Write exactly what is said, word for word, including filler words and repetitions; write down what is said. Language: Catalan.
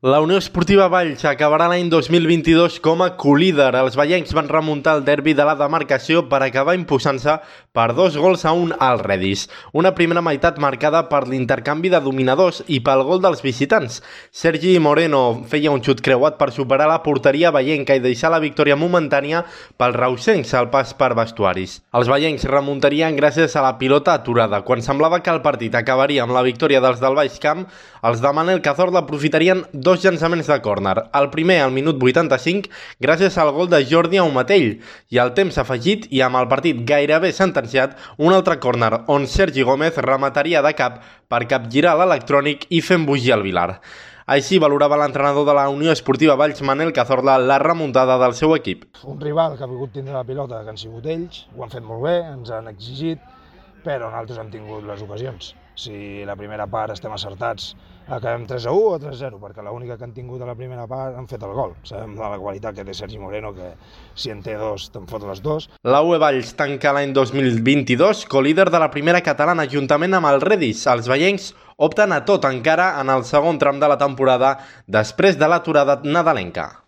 La Unió Esportiva Valls acabarà l'any dos mil vint-i-dos com a colíder. Els vallencs van remuntar el derbi de la demarcació per acabar imposant-se per dos gols a un al Redis. Una primera meitat marcada per l'intercanvi de dominadors i pel gol dels visitants. Sergi Moreno feia un xut creuat per superar la porteria vallenca i deixar la victòria momentània pels reusencs al pas per vestuaris. Els vallencs remuntarien gràcies a la pilota aturada. Quan semblava que el partit acabaria amb la victòria dels del Baix Camp, els de Manel Cazorla aprofitarien dos llançaments de córner. El primer al minut vuitanta-cinc gràcies al gol de Jordi Aumatell i al temps afegit i amb el partit gairebé sentenciat, un altre córner on Sergi Gómez remataria de cap per capgirar l'electrònic i fer embogir el Vilar. Així valorava l'entrenador de la Unió Esportiva Valls, Manel Cazorla, la remuntada del seu equip. Un rival que ha volgut tindre la pilota, que han sigut ells, ho han fet molt bé, ens han exigit, però nosaltres hem tingut les ocasions. Si la primera part estem acertats, acabem tres a u o tres a zero, perquè l'única que han tingut a la primera part han fet el gol. Sabem de la qualitat que té Sergi Moreno, que si en té dos, te'n fot les dos. La U E Valls tanca l'any dos mil vint-i-dos co-líder de la primera catalana juntament amb el Redis. Els vallencs opten a tot encara en el segon tram de la temporada després de l'aturada nadalenca.